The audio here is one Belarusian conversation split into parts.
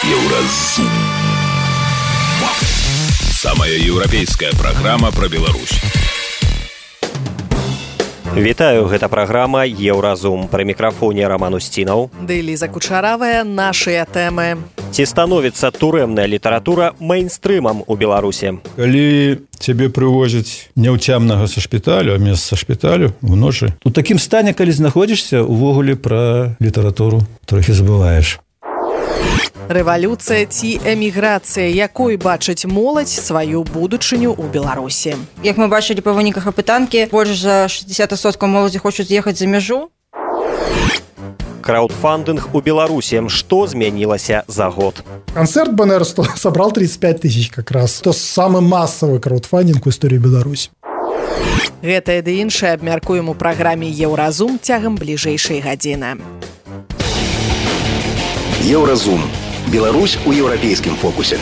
Еўразум. Самая еўрапейская праграма пра Беларусь. Вітаю, гэта праграма «Еўразум». Пры мікрафоне Роман Устінаў. Ды Ліза Кучаравая, нашыя тэмы. Ці становіцца турэмная літаратура мейнстрымам у Беларусі? Калі цябе прывозяць няўцямнага са шпіталю, а месца шпіталю ў ночы, у такім стане, калі знаходзішся, увогуле пра літаратуру трохі забываеш. Рэвалюцыя ці эміграцыя, якой бачыць моладзь сваю будучыню ў Беларусі? Як мы бачылі па выніках апытанкі, больш за 60% моладзі хочуць з'ехаць за мяжу. Краудфандинг у Беларуси. Что змянілася за год? Концерт БНР собрал 35 тысяч как раз. Это самый массовый краудфандинг в истории Беларуси. Гэтае ды іншае абмяркуем у праграме «Еўразум» цягам бліжэйшай гадзіны. Еўразум. Беларусь у еўрапейскім фокусе.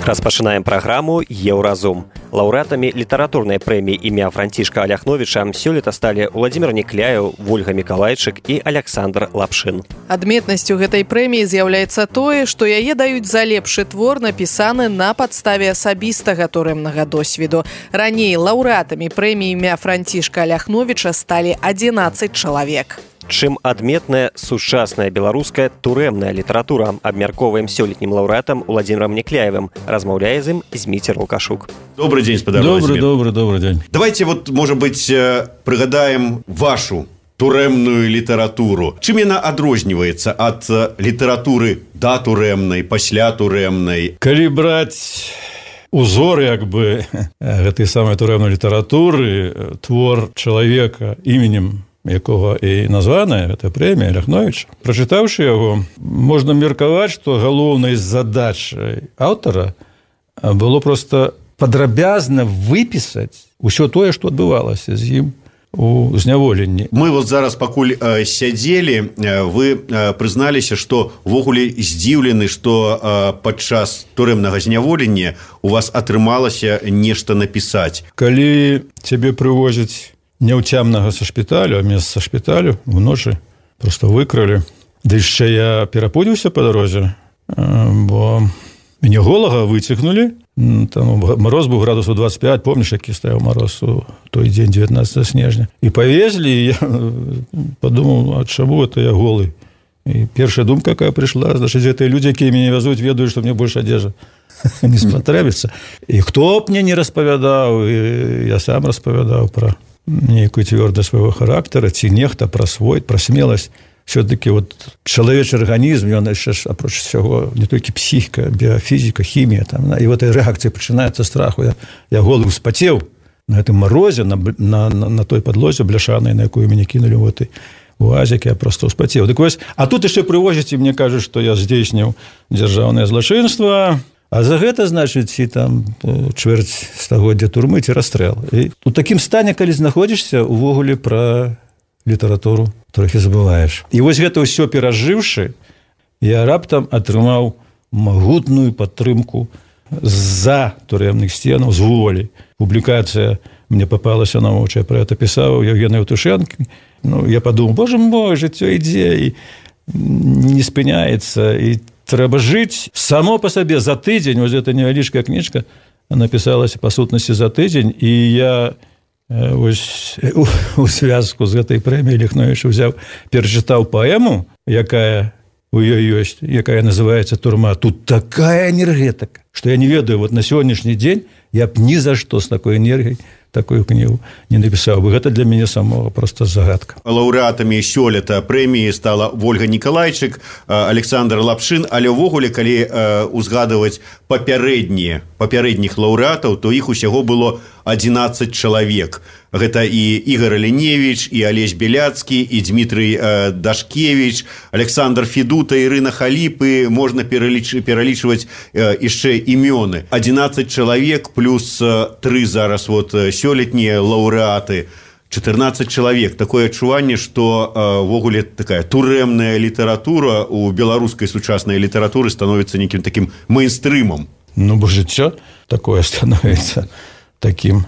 Распачынаем праграму «Еўразум». Лаўрэатамі літаратурнай прэміі імя Францішка Аляхновіча сёлета сталі Владзімір Некляеў, Вольга Мікалайчык і Аляксандр Лапшын. Адметнасцю гэтай прэміі з'яўляецца тое, што яе даюць за лепшы твор, напісаны на падставе асабістага турэмнага досведу. Раней лаўрэатамі прэміі імя Францішка Аляхновіча сталі 11 чалавек. Чым адметная сучасная беларуская турэмная літаратура, абмяркоўваем сёлетнім лаўрэатам Владзімірам Некляевым. Размаўляе з ім Зміцер Лукашук. Добрый день, спадарожнік. Добрый день. Давайте вот, может быть, пригадаем вашу турэмную літаратуру. Чым яна адрозніваецца ад літаратуры да турэмнай, пасля турэмнай? Калі браць узор, як бы, гэтай самай турэмнай літаратуры, твор чалавека, іменем якога і названая гэта прэмія Аляхновіча. Прачытаўшы яго, можна меркаваць, што галоўнай задачай аўтара было проста падрабязна выпісаць усё тое, што адбывалася з ім у зняволенні. Мы вот зараз пакуль сядзелі, вы прызналіся, што ўвогуле здзіўлены, што падчас турэмнага зняволення у вас атрымалася нешта напісаць. Калі цябе прывозяць няўцямнага са шпіталю, а месца шпіталю ў ночы просто выкралі. Ды яшчэ я перапудзіўся па дарозе, бо мяне голага выцягнулі. Там мароз быў градусаў 25, помніш, які стаяў мароз у той дзень, 19 снежня. І павезлі, і я падумаў, а чаму это я голы? І першая думка, якая прыйшла, значыць, гэтыя людзі, якія мяне вязуць, ведаюць, што мне больш адзежа не спатрэбіцца. І хто б мне не распавядаў, і я сам распавядаў пра нейкую цвёрдасць свайго характара, ці нехта пра свой, пра смеласць. Все-таки вот чалавечы арганізм, ён яшчэ ж, апроч всяго, не толькі псіхіка, біяфізіка, хімія, там, і вот эта рэакцыя пачынаецца страху. Я голы ўспацеў на гэтым марозе, на той падлозе бляшанай, на якую мяне кінулі ў гэтай уазікі, я просто ўспацеў. Дык вось, а тут яшчэ прывозяць, і мне кажуць, што я здзейсніў дзяржаўнае злачынства, а за гэта, значыць, і там чвэрць стагоддзя турмы ці расстрэл. І у такім стане, калі знаходзішся, увогуле пра літаратуру трохі забываеш. І вось гэта ўсё перажыўшы, я раптам атрымаў магутную падтрымку з-за турэмных сценаў, з волі. Публікацыя мне папалася на вочы, я пра гэта пісаў Евгений Евтушенко. Я падумаў, боже мой, жыццё ідзе і не спыняецца, і трэба жыць само па сабе за тыдзень. Вось гэта невялічкая кніжка напісалася па сутнасці за тыдзень, і я вось у звязку з гэтай прэміяй Аляхновіча ўзяў, перачытаў паэму, якая у ёй ёсць, якая называецца «Турма». Тут такая энергетика, што я не ведаю, вот на сённяшні дзень я б ні за што з такой энергіяй такую кнігу не напісаў бы. Гэта для мяне самого просто загадка. Лаўрэатамі сёлета прэміі стала Вольга Мікалайчык, Аляксандр Лапшын, але ўвогуле, калі узгадваць папярэдніх лаўрэатаў, то іх усяго было 11 чалавек. Гэта і Ігор Аліневіч, і Алесь Беляцкі, і Дмітрый Дашкевіч, Александр Федута, Ірына Халіпы, можна пералічваць яшчэ імёны. 11 чалавек плюс 3 зараз вот сёлетнія лаўрэаты. 14 чалавек. Такое адчуванне, што ввогуле такая турэмная літаратура у беларускай сучаснай літаратуры становіцца нейкім такім мейнстрымам. Бо жыццё такое становіцца такім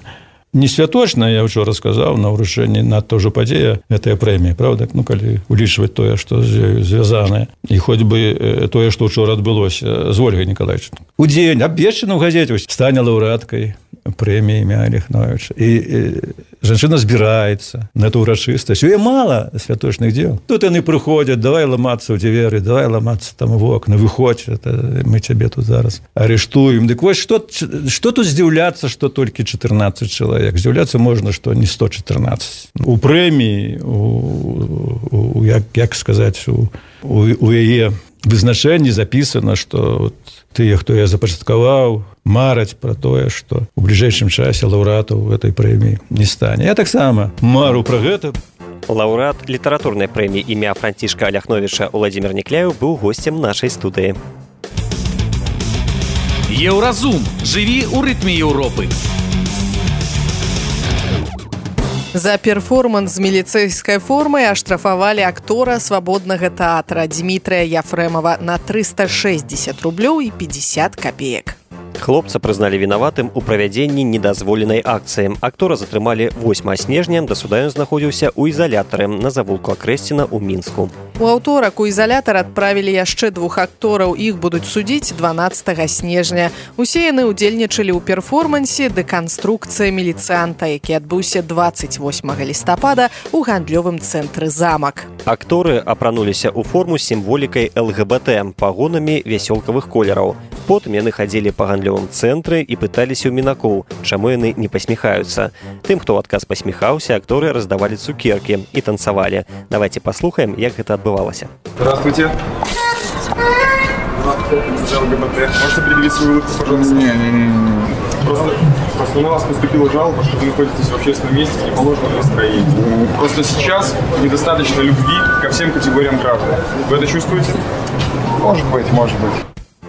не святочная, я ўжо расказаў на ўручэнні надта ўжо падзея гэтая прэмія, правда, ну калі улічваць тое, што звязанае, і хоць бы тое, што учора адбылося з Ольгай Николаевичной. Удзень абвешчана ў газеце, стане лаўрэаткай прэміі імя Аляхновіча. І жанчына збіраецца на эту ўрачыстасць. У яе мала святочных дзел. Тут яны прыходзяць, давай ламацца ў дзверы, давай ламацца там у окна, выходзь, мы цябе тут зараз арыштуем. Дык вось, што тут здзіўляцца, што толькі 14 чалавек. Здзіўляцца можна, што не 114. У прэміі, як сказаць, у яе вызначэнні запісана, што тыя, хто я запачаткаваў, мараць пра тое, што ў бліжэйшым часе лаўрэатаў гэтай прэміі не стане. Я таксама мару пра гэта. Лаўрэат літаратурнай прэміі імя Францішка Аляхновіча Уладзімір Никляеў быў госцем нашай студыі. Еўразум. Жыві ў рытме Еўропы. За перформанс з міліцэйскай формай аштрафавалі актора свабоднага тэатра Дмітрыя Яфрэмова на 360 рублёў і 50 копеек. Хлопца прызналі вінаватым у правядзенні недазволенай акцыі. Актора затрымалі 8 снежня, да суда ён знаходзіўся ў ізалятары на завулку Акрэсціна ў Мінску. У аўторак у ізалятар адправілі яшчэ 2 актораў, іх будуць судзіць 12 снежня. Усе яны ўдзельнічалі ў перформансе «Дэканструкцыя міліцыянта», які адбыўся 28 лістапада ў гандлёвым цэнтры «Замак». Акторы апрануліся ў форму з сімволікай ЛГБТ, пагонамі вясёлкавых колераў. Потым яны хадзілі па гандлёвым цэнтры і пыталіся ў мінакоў, чаму яны не пасміхаюцца. Тым, хто ў адказ пасміхаўся, акторы раздавалі цукеркі і танцавалі. Давайте паслухаем, як гэта адбывалася. Здравствуйте. ЛГБТ. Можете предъявить свою улыбку, пожалуйста? Не. Просто на вас поступила жалоба, что вы находитесь в общественном месте в неположенном настроении. Просто сейчас недостаточно любви ко всем категориям граждан. Вы это чувствуете? Может быть.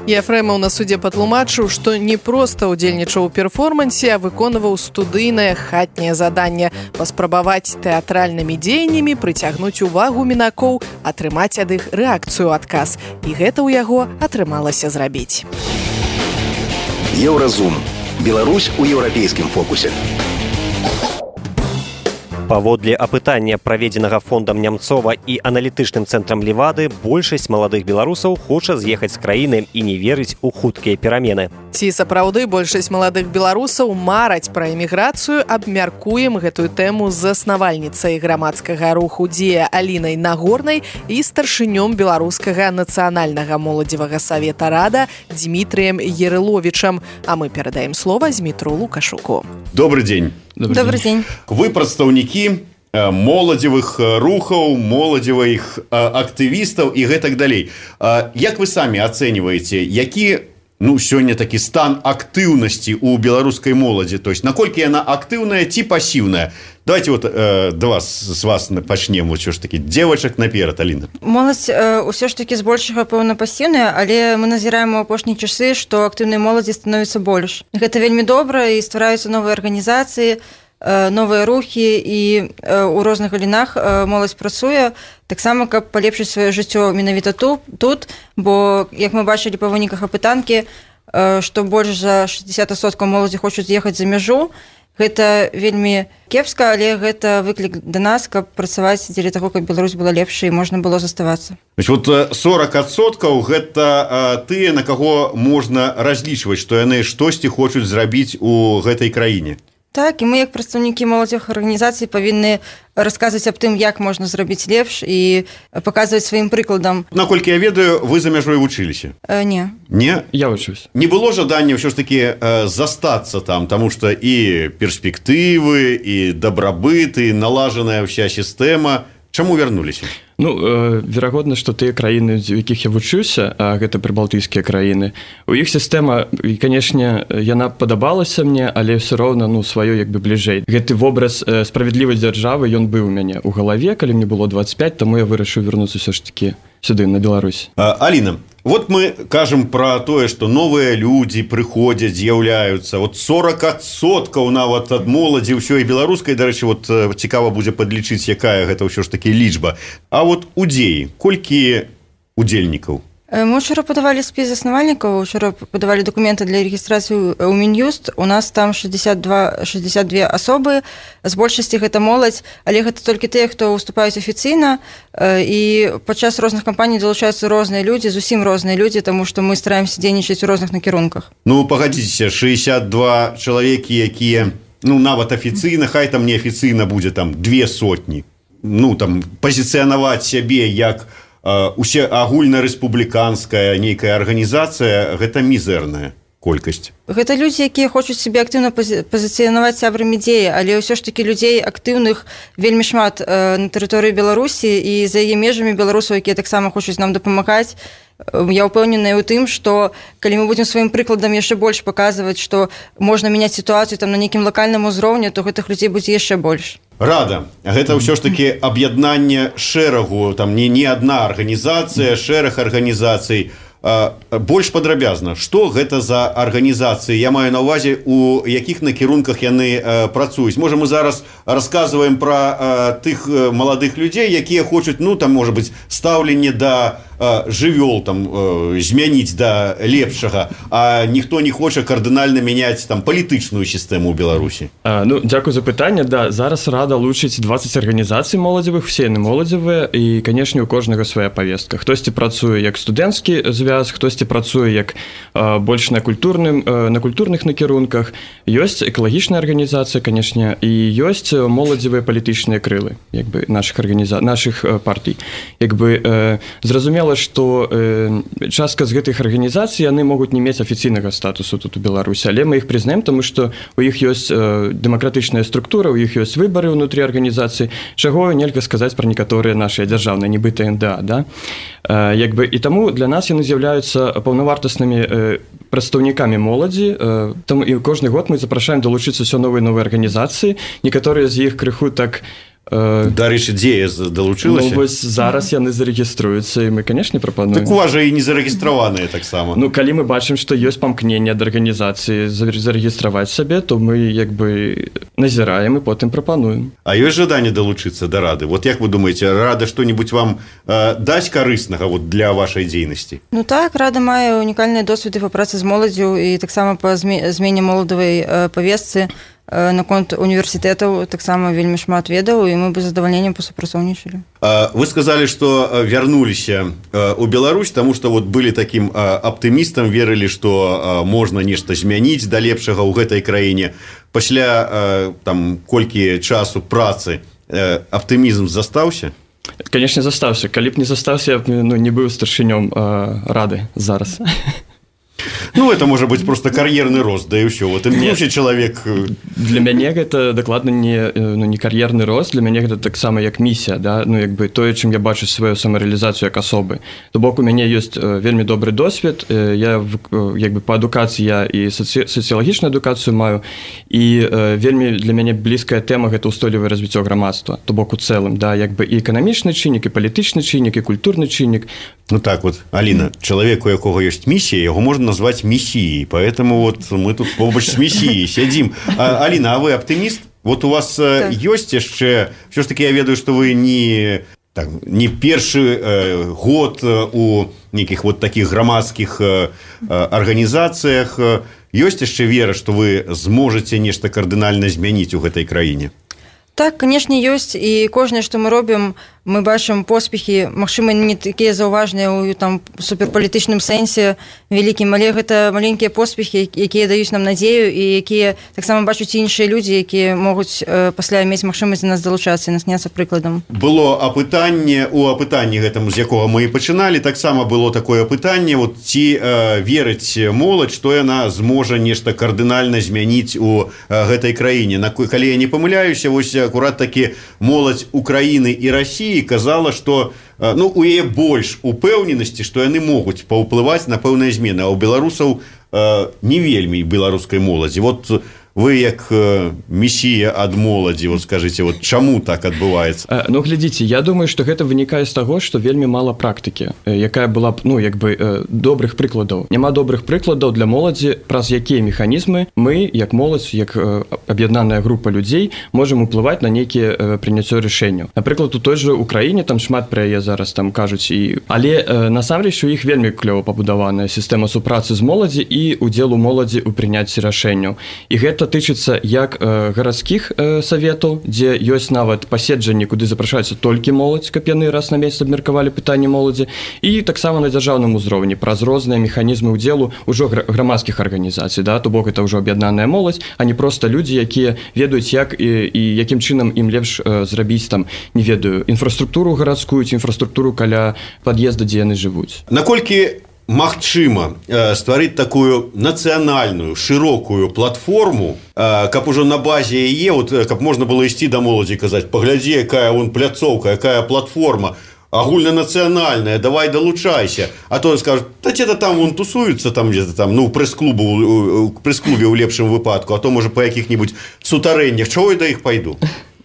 Яфрэмаў на судзе патлумачыў, што не проста ўдзельнічаў у перформансе, а выконваў студыйнае хатняе заданне паспрабаваць тэатральнымі дзеяннямі прыцягнуць увагу мінакоў, атрымаць ад іх рэакцыю адказ. І гэта ў яго атрымалася зрабіць. Еўразум. Беларусь у еўрапейскім фокусе. Паводле апытання, праведзенага фондам Нямцова і аналітычным цэнтрам Левады, большасць маладых беларусаў хоча з'ехаць з краіны і не верыць у хуткія перамены. Ці сапраўды большасць маладых беларусаў мараць пра эміграцыю, абмяркуем гэтую тэму з заснавальніцай грамадскага руху «Дзея» Алінай Нагорнай і старшынём беларускага нацыянальнага моладзевага савета «Рада» Дмітрыем Ярыловічам. А мы перадаем слова Змітру Лукашуку. Добрый день. Добрый день. Вы прадстаўнікі моладзевых рухаў, моладзевых актывістаў і гэтак далей. Як вы самі ацэньваеце, які сёння такі стан актыўнасці ў беларускай моладзі? То есть, наколькі яна актыўная ці пасіўная? Давайте з вас пачнем, ўсё ж такі, дзевачак наперад, Аліна. Моладзь ўсё ж такі збольшага, пэўна, пасіўная, але мы назіраем у апошнія часы, што актыўнай моладзі становіцца больш. Гэта вельмі добра, і ствараюцца новыя арганізацыі, новыя рухі, і ў розных галінах моладзь працуе, таксама, каб палепшыць сваё жыццё менавіта тут, бо, як мы бачылі па выніках апытанкі, што больш за 60% моладзі хочуць з'ехаць за мяжу. Гэта вельмі кепска, але гэта выклік да нас, каб працаваць дзеля таго, каб Беларусь была лепшай і можна было заставацца. Вот 40% гэта тыя, на каго можна разлічваць, што яны штосьці хочуць зрабіць у гэтай краіне. Так, і мы, як прадстаўнікі моладзевых арганізацый, павінны расказваць аб тым, як можна зрабіць лепш і паказваць сваім прыкладам. Наколькі я ведаю, вы за мяжой вучыліся? Не. Не? Я вучусь. Не было жадання ўсё ж такі застацца там, таму што і перспектывы, і дабрабыт, і налажаная ўся сістэма. Чаму вярнуліся? Верагодна, што тыя краіны, у якіх я вучуся, а гэта прыбалтыйскія краіны, у іх сістэма, і, канешне, яна падабалася мне, але ўсё роўна, сваё як бы бліжэй. Гэты вобраз справядлівай дзяржавы, ён быў у мяне ў галаве, калі мне было 25, таму я вырашыў вярнуцца ўсё ж такі сюды, на Беларусь. Аліна, вот мы кажам пра тое, што новыя людзі прыходзяць, з'яўляюцца. Вот 40% нават ад моладзі ўсёй беларускай, дарэчы, вот цікава будзе падлічыць, якая гэта ўсё ж такі лічба. А вот удзеі, колькі удзельнікаў? Мы учора падавалі спіс заснавальнікаў, учора падавалі дакументы для рэгістрацыі ў Мін'юст. У нас там 62 асобы, з большасці гэта моладзь, але гэта толькі тыя, хто ўступаюць афіцыйна, і падчас розных кампаній далучаюцца розныя людзі, зусім розныя людзі, таму што мы стараемся дзейнічаць у розных накірунках. Ну, пагадзіцеся, 62 чалавекі, якія, ну, нават афіцыйна, хай там не афіцыйна будзе там 200. Ну, там, пазіцыянаваць сябе як усе агульнарэспубліканская нейкая арганізацыя, гэта мізэрная колькасць. Гэта людзі, якія хочуць сябе актыўна пазіцыянаваць сябрамі дзеі, але ўсё ж такі людзей актыўных вельмі шмат на тэрыторыі Беларусі і за яе межамі беларусаў, якія таксама хочуць нам дапамагаць. Я ўпэўненая ў тым, што калі мы будзем сваім прыкладам яшчэ больш паказваць, што можна мяняць сітуацыю там на нейкім лакальным узроўні, то гэтых людзей будзе яшчэ больш. Рада. Гэта ўсё ж такі аб'яднанне шэрагу, там не адна арганізацыя, шэраг арганізацый. Больш падрабязна, што гэта за арганізацыі? Я маю на ўвазе, у якіх накірунках яны працуюць. Можа, мы зараз расказваем пра тых маладых людзей, якія хочуць, ну, там, можа быць, стаўленне да жывёл там змяніць да лепшага, а ніхто не хоча кардынальна мяняць там палітычную сістэму ў Беларусі. Ну, дзякую за пытанне. Да, зараз рада лучыць 20 арганізацый моладзевых, усе яны моладзевыя, і, канешне, у кожнага свая павестка. Хтосьці працуе як студэнцкі звяз, хтосьці працуе як больш на культурных накірунках. Ёсць экалагічная арганізацыя, канешне, і ёсць моладзевыя палітычныя крылы, як бы, нашых партый. Як бы, зразумела, што частка з гэтых арганізацый яны могуць не мець афіцыйнага статусу тут у Беларусі, але мы іх прызнаем, таму што у іх ёсць дэмакратычная структура, у іх ёсць выбары ўнутры арганізацыі, чаго нельга сказаць пра некаторыя нашыя дзяржаўныя, нібыта НДА, да? Як бы, і таму для нас яны з'яўляюцца паўнавартаснымі прадстаўнікамі моладзі, там і кожны год мы запрашаем далучыцца ўсё новыя арганізацыі, некаторыя з іх крыху так. Дарэчы, дзея далучылася? Ну, вось зараз яны зарэгіструюцца, і мы, канешне, прапануем. Так у вас жа і не зарэгістраваныя таксама. Ну, калі мы бачым, што ёсць памкненне ад арганізацыі зарэгістраваць сабе, то мы, як бы, назіраем і потым прапануем. А ёсць жаданне далучыцца да рады? Вот як вы думаеце, рада што-небудзь вам дасць карыснага вот для вашай дзейнасці? Ну так, рада мае унікальныя досведы па працы з моладзю і таксама па змене моладавай павестцы. Наконт універсітэтаў таксама вельмі шмат ведаў, і мы бы з задавальненнем пасупрацоўнічалі. Вы сказалі, што вярнуліся ў Беларусь, таму што вот былі такім аптымістам, верылі, што можна нешта змяніць да лепшага ў гэтай краіне. Пасля там колькі часу працы аптымізм застаўся? Канешне, застаўся. Калі б не застаўся, я б не быў старшынём рады зараз. Ну, это может быть просто кар'ерны рост, да і ўсё. Вот імгнуўся чалавек. Для мяне гэта дакладна не кар'ерны рост, для мяне гэта таксама як місія, да? Ну, як бы тое, чым я бачу сваю самарэалізацыю як асобы. То бок у мяне ёсць вельмі добры досвед, я як бы па адукацыі я і сацыялагічную адукацыю маю, і вельмі для мяне блізкая тэма гэта ўстойлівае развіццё грамадства, то бок у цэлым, да, як бы і эканамічны чыннік, і палітычны чыннік, і культурны чыннік. Ну так вот, Аліна, чалавек, у якога ёсць місія, яго можна назваць мессией, поэтому вот мы тут побач с мессией сядзім. Аліна, а вы аптыміст? Вот у вас ёсць яшчэ, все ж таки я ведаю, что вы не першы год у нейкіх вот таких грамадскіх арганізацыях. Ёсць яшчэ вера, что вы зможаце нешта кардынальна змяніць у гэтай краіне? Так, канешне, ёсць, і кожнае, што мы робім, мы бачым поспехі, магчыма, не такія заўважныя ў там суперпалітычным сэнсе вялікім, але гэта маленькія поспехі, якія даюць нам надзею і якія таксама бачуць іншыя людзі, якія могуць пасля мець магчымасць да нас далучацца і насняцца прыкладам. Было апытанне, у апытанні гэтым, з якога мы і пачыналі, таксама было такое апытанне, вот ці верыць моладзь, што яна зможа нешта кардынальна змяніць у гэтай краіне. Калі я не памыляюся, вось акурат такі моладзь Украіны і Расіі казала, што у яе больш упэўненасці, што яны могуць паўплываць на пэўныя змены, а ў беларусаў не вельмі беларускай моладзі. Вот вы як месія ад моладзі, вот скажите, вот чаму так адбываецца? Ну, глядзіце, я думаю, што гэта вынікае з таго, што вельмі мала практыкі, якая была б, ну, як бы, добрых прыкладаў. Няма добрых прыкладаў для моладзі, праз якія механізмы мы, як моладзь, як аб'яднаная група людзей, можам уплываць на нейкія прыняццё рашэнняў. Напрыклад, у той жа Украіне там шмат пра яе зараз там кажуць, але насамрэч у іх вельмі клёва пабудаваная сістэма супрацы з моладзі і удзелу моладзі ў прыняцці рашэнняў. І гэта тычыцца як гарадскіх саветаў, дзе ёсць нават паседжанні, куды запрашаюцца толькі моладзь, каб яны раз на месяц абмеркавалі пытанні моладзі, і таксама на дзяржаўным узроўні праз розныя механізмы ўдзелу ўжо грамадскіх арганізацый, да, то бок это ўжо аб'яднаная моладзь, а не проста людзі, якія ведаюць, як і якім чынам ім лепш зрабіць там, не ведаю, інфраструктуру гарадскую ці інфраструктуру каля пад'езда, дзе яны жывуць. Наколькі магчыма стварыць такую нацыянальную шырокую платформу, каб ужо на базе яе, вот, каб можна было ісці да моладзі і казаць, паглядзі, якая вон пляцоўка, якая платформа агульнанацыянальная, давай далучайся. А то скажут, да где-то там вон тусуются, там где-то там, ну, прэс-клубе ў лепшым выпадку, а то, можа, па якіх-небудзь сутарэннях, чаго я да іх пайду?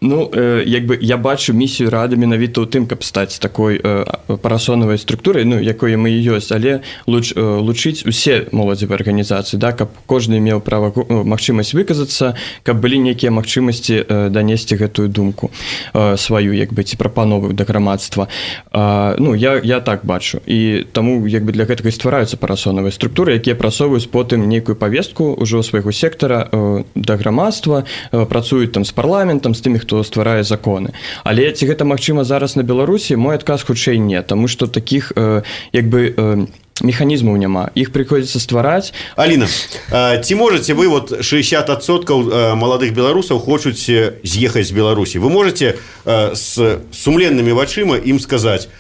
Ну, як бы я бачу місію рады менавіта ў тым, каб стаць такой парасонавай структурай, ну, якой мы і ёсць, але лучыць усе моладзевыя арганізацыі, да, каб кожны меў права, магчымасць выказацца, каб былі нейкія магчымасці данесці гэтую думку сваю, як бы, ці прапанову да грамадства. Ну, я так бачу. І таму, як бы, для гэтага і ствараюцца парасонавыя структуры, якія прасоўваюць потым нейкую павестку ўжо свайго сектара да грамадства, працуюць там з парламентам, з тымі, хто стварае законы. Але ці гэта магчыма зараз на Беларусі? Мой адказ хутчэй не, таму што такіх як бы механізмаў няма. Іх прыходзіцца ствараць. Аліна, ці можаце вы, вот 60% маладых беларусаў хочуць з'ехаць з Беларусі. Вы можаце з сумленнымі вачыма ім сказаць,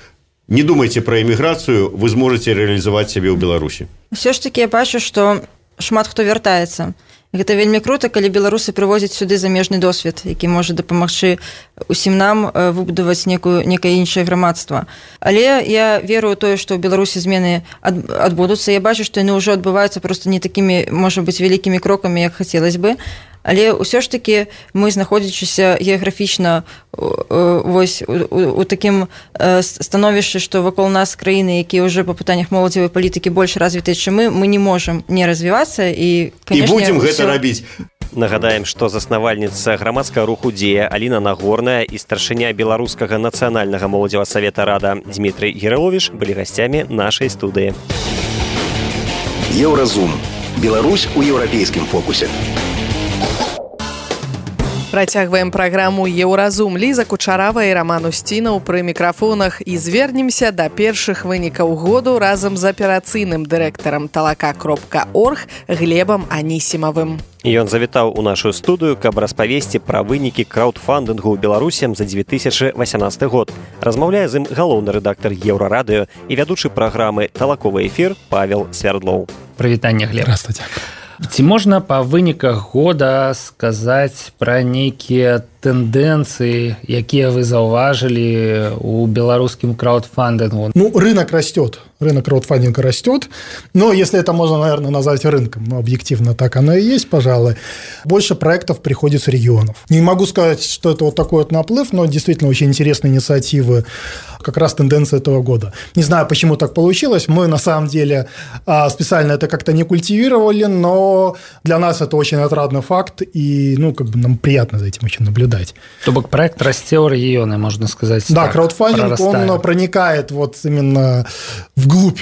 не думайце пра эміграцыю, вы зможаце рэалізаваць сябе ў Беларусі? Усё ж такі я бачу, што шмат хто вяртаецца. Гэта вельмі крута, калі беларусы прывозяць сюды замежны досвед, які можа дапамагчы усім нам выбудаваць некае іншае грамадства. Але я верую ў тое, што ў Беларусі змены адбудуцца. Я бачу, што яны ўжо адбываюцца проста не такімі, можа быць, вялікімі крокамі, як хацелось бы. Але ўсё ж такі мы, знаходзячыся геаграфічна вось у такім становішчы, што вакол нас краіны, якія ўжо па пытаннях моладзевай палітыкі больш развітыя, чым мы не можам не развівацца і, канешне, будзем гэта рабіць. Нагадаем, што заснавальніца грамадскага руху «Дзея» Аліна Нагорная і старшыня беларускага нацыянальнага моладзевага савета рада Дмітрый Гераловіч былі гасцямі нашай студыі. Еўразум. Беларусь у еўрапейскім фокусе. Працягваем праграму «Еўразум». Ліза Кучарава і Раман Усцінаў пры мікрафонах і звернемся да першых вынікаў году разам з аперацыйным дырэктарам talaka.org Глебам Анісімавым. Ён завітаў у нашу студыю, каб распавесці пра вынікі краўдфандынгу ў Беларусі за 2018 год. Размаўляе з ім галоўны рэдактар Еўрарадыё і вядучы праграмы «Талаковы эфір» Павел Свярдлоў. Прывітанне, Глеб. Здравствуйте. Ці можна па выніках года сказаць пра нейкія тэндэнцыі, якія вы заўважылі ў беларускім краудфандингу? Ну, рынок растет, рынок краудфандинга растет, но если это можно, наверное, назвать рынком, ну, объективно так оно и есть, пожалуй, больше проектов приходит с регионов. Не могу сказать, что это вот такой вот наплыв, но действительно очень интересные инициативы, как раз тенденция этого года. Не знаю, почему так получилось, мы на самом деле специально это как-то не культивировали, но для нас это очень отрадный факт, и, ну, как бы нам приятно за этим очень наблюдать. То бок проект расце ў рэгіёны, можна сказаць. Да, так, краудфандинг, он проникает вот именно вглубь,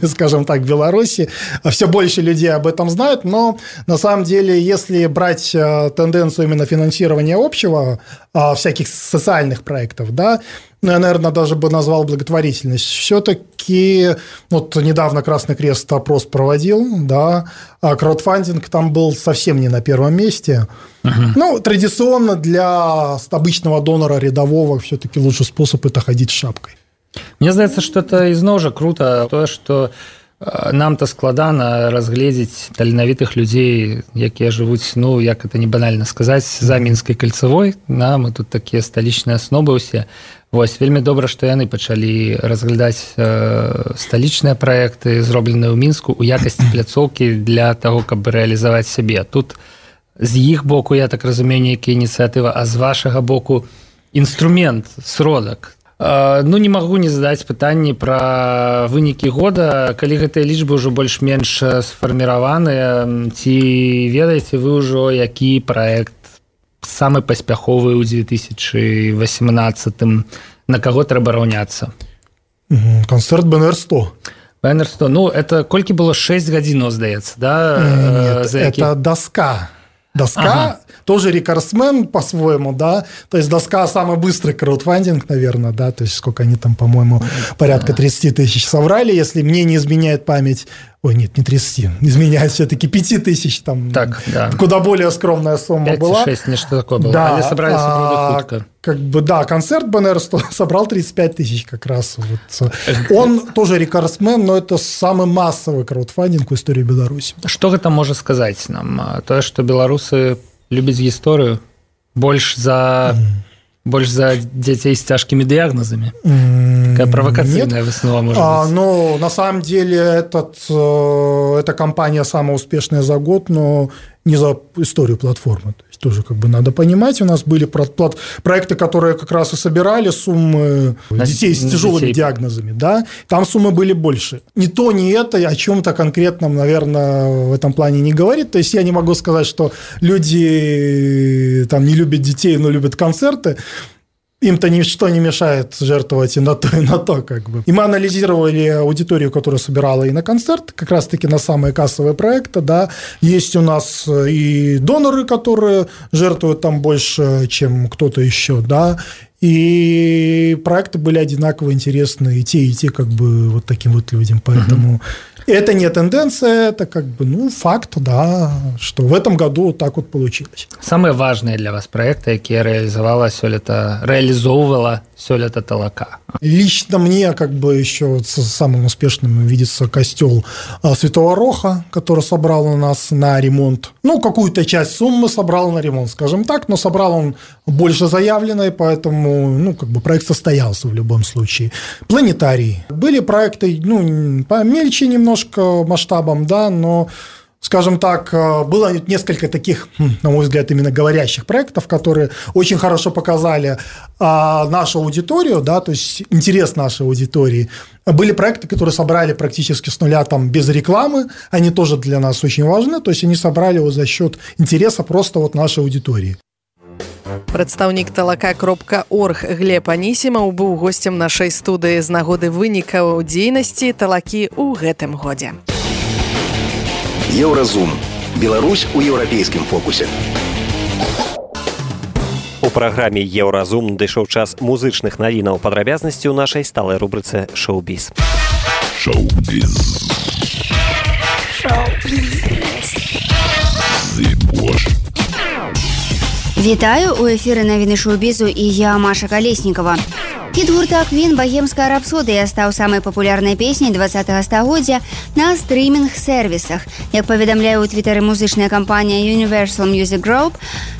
скажем так, Беларуси. Все больше людей об этом знают, но на самом деле, если брать тенденцию именно финансирования общего, всяких социальных проектов, да, я, наверное, даже бы назвал благотворительность. Все-таки вот недавно Красный Крест опрос проводил, да, а краудфандинг там был совсем не на первом месте. Ну, традиционно для обычного донора рядового все-таки лучший способ – это ходить с шапкой. Мне здаецца, што это ізноў жа круто тое, што нам-то складана разгледзець таленавітых людзей, якія жывуць, ну, як это не банальна сказаць, за Мінскай кальцавой, да, мы тут такія сталічныя аснобы ўсе. Вось, вельмі добра, што яны пачалі разглядаць сталічныя праекты, зробленыя ў Мінску, у якасці пляцоўкі для таго, каб рэалізаваць сябе. Тут з іх боку, я так разумею, нейкая ініцыятыва, а з вашага боку інструмент, сродак. Ну, не магу не задаць пытанні пра вынікі года, калі гэтыя лічбы ўжо больш-менш сфарміраваныя, ці ведаеце вы ўжо, які праект самы паспяховы ў 2018, на каго трэба раўняцца? Канцэрт БНР-100. БНР-100, ну, это колькі было 6 гадзінаў, здаецца, да? Нет, это доска. Доска, тоже рекордсмен по-своему, да, то есть доска самый быстрый краудфандинг, наверное, да, то есть сколько они там, по-моему, порядка 30 тысяч собрали, если мне не изменяет память, ой, нет, не 30, изменяет все-таки 5 тысяч, там, так, да. Куда более скромная сумма 5, была. 5-6, нечто такое было, да, они собрали хутко. Как бы, да, концерт БНР-100 собрал 35 тысяч как раз. Вот. Он тоже рекордсмен, но это самый массовый краудфандинг в истории Беларуси. Что гэта можа сказаць нам? То, что беларусы любяць гісторыю больш за дзяцей с тяжкими диагнозами. Такая провокационная выснова, может быть. Ну, на самом деле, эта компания самая успешная за год, но не за историю платформы. То есть тоже как бы надо понимать, у нас были проекты, которые как раз и собирали суммы детей с тяжелыми диагнозами, да, там суммы были больше. Ни то, ни это о чем-то конкретном, наверное, в этом плане не говорит. То есть я не могу сказать, что люди там не любят детей, но любят концерты. Им-то ничто не мешает жертвовать и на то, как бы. И мы анализировали аудиторию, которая собирала и на концерт, как раз-таки на самые кассовые проекты, да. Есть у нас и доноры, которые жертвуют там больше, чем кто-то еще, да. И проекты были одинаково интересны, и те, как бы, вот таким вот людям. Поэтому это не тенденция, это как бы, ну, факт, да, что в этом году вот так вот получилось. Самые важные для вас проекты, якія реализовывала сёлета Талака? Лично мне, как бы, еще вот самым успешным видится костел Святого Роха, который собрал у нас на ремонт. Ну, какую-то часть суммы собрал на ремонт, скажем так, но собрал он больше заявленной, поэтому, ну, как бы проект состоялся в любом случае. Планетарий. Были проекты, ну, помельче немножко масштабом, да, но, скажем так, было несколько таких, на мой взгляд, именно говорящих проектов, которые очень хорошо показали нашу аудиторию, да, то есть интерес нашей аудитории. Были проекты, которые собрали практически с нуля, там, без рекламы, они тоже для нас очень важны, то есть они собрали его за счет интереса просто вот нашей аудитории. Прадстаўнік талака.орг Глеб Анісімаў быў госцем нашай студыі з нагоды вынікаў дзейнасці Талакі ў гэтым годзе. Еўразум. Беларусь у еўрапейскім фокусе. У праграме Еўразум дайшоў час музычных навінаў, падрабязнасці ў нашай сталай рубрыцы «Шоу-біз». Шоу-біз. Вітаю, у эфіры навіны шоу-бізу і я, Маша Калеснікова. Хіт гурта Queen «Богемская рапсодыя» стаў самай папулярнай песняй 20-го стагоддзя на стрымінг-сервісах. Як паведамляе ў твітары музычная кампанія Universal Music Group,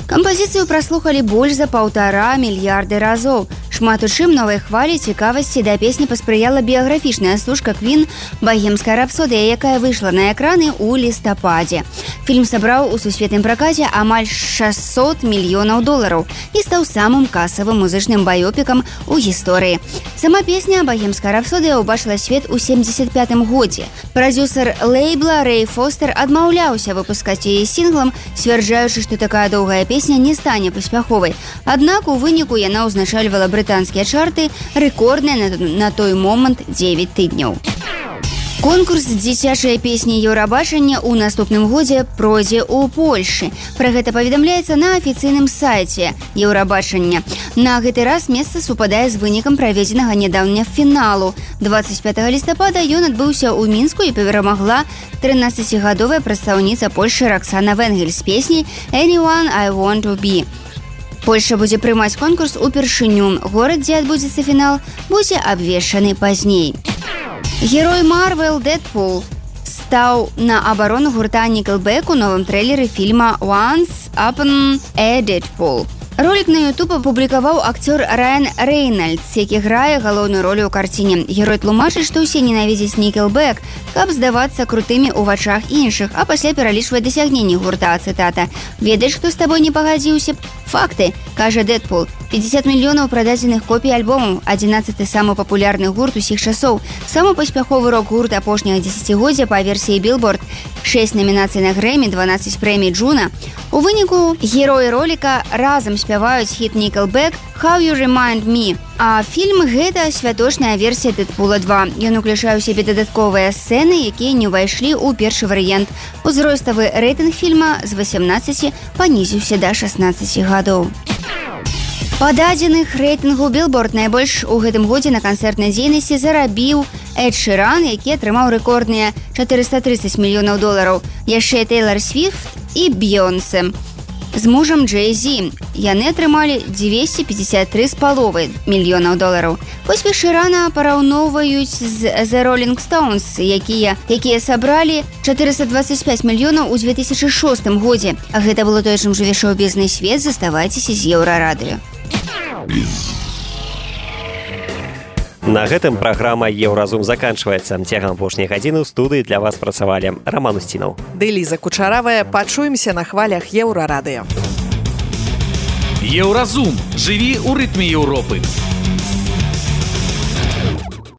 кампазіцыю праслухалі больш за 1,5 мільярды разоў. Шмат у чым новай хвалі цікавасці да песні паспрыяла біяграфічная стужка Queen «Богемская рапсодыя», якая выйшла на экраны ў лістападзе. Фільм сабраў у сусветным пракаце амаль $600 мільёнаў і стаў самым касавым музычным баёпікам у гісторыі. Сама песня «Богемская рапсодыя» убачыла свет у 75-м годзе. Прадзюсар лейбла Рэй Фостер адмаўляўся выпускаць яе сінглам, сцвярджаючы, што такая доўгая песня не стане паспяховай. Аднак у выніку яна ўзначальвала брытанскія чарты, рэкордныя на той момант 9 тыдняў. Конкурс дзіцячай песні Еўрабачання ў наступным годзе пройдзе ў Польшы. Пра гэта паведамляецца на афіцыйным сайце Еўрабачання. На гэты раз месца супадае з вынікам праведзенага нядаўня фіналу. 25 лістапада ён адбыўся ў Мінску і перамагла 13-гадовая прадстаўніца Польшы Роксана Венгель з песняй «Anyone I Want to Be». Польша будзе прымаць конкурс упершыню. Горад, дзе адбудзецца фінал, будзе абвешчаны пазней. Герой Марвел Дэдпул стаў на абарону гурта Nickelback у новым трэйлеры фільма «Once Upon a Deadpool». Ролик на YouTube апублікаваў акцёр Райан Рэйнальдс, які грае галоўную ролю ў карціне. Герой тлумачыць, што ўсе ненавідзяць Nickelback, каб здавацца крутымі ў вачах іншых, а пасля пералічвае дасягненні гурта, цытата. «Ведаеш, хто з табой не пагадзіўся? Факты», кажа Дэдпул. 50 мільёнаў прададзеных копій альбомаў, 11-й самы папулярны гурт усіх часоў, самы паспяховы рок-гурт апошняга дзесяцігоддзя па версіі Billboard, 6 намінацый на Грэмі, 12 прэмій Джуна. У выніку героі роліка разам спяваюць хіт Nickelback «How You Remind Me». А фільм – гэта святочная версія Дэдпула 2. Ён уключае ў сябе дадатковыя сцэны, якія не ўвайшлі ў першы варыянт. Узроставы рэйтынг фільма з 18 панізіўся да 16 гадоў. Па дадзеных рэйтынгу Billboard найбольш у гэтым годзе на канцэртнай дзейнасці зарабіў Эд Ширан, які атрымаў рэкордныя $430 мільёнаў. Яшчэ Тейлор Свіфт і Бейонсе з мужам Джей-Зі. Яны атрымалі $253,5 мільёнаў. Поспех Ширана параўноўваюць з The Rolling Stones, якія сабралі 425 мільёнаў у 2006 годзе. А гэта было тое, чым жыве шоу-бізнес-свет. Заставайцеся з Еўрарадыё. На гэтым праграма «Еўразум» заканчваецца. Цягам апошняй гадзіны ў студыі для вас працавалі Раман Устінаў. Ды Ліза Кучаравая. Пачуемся на хвалях Еўрарадыё. Еўразум. Жыві ў рытме Еўропы.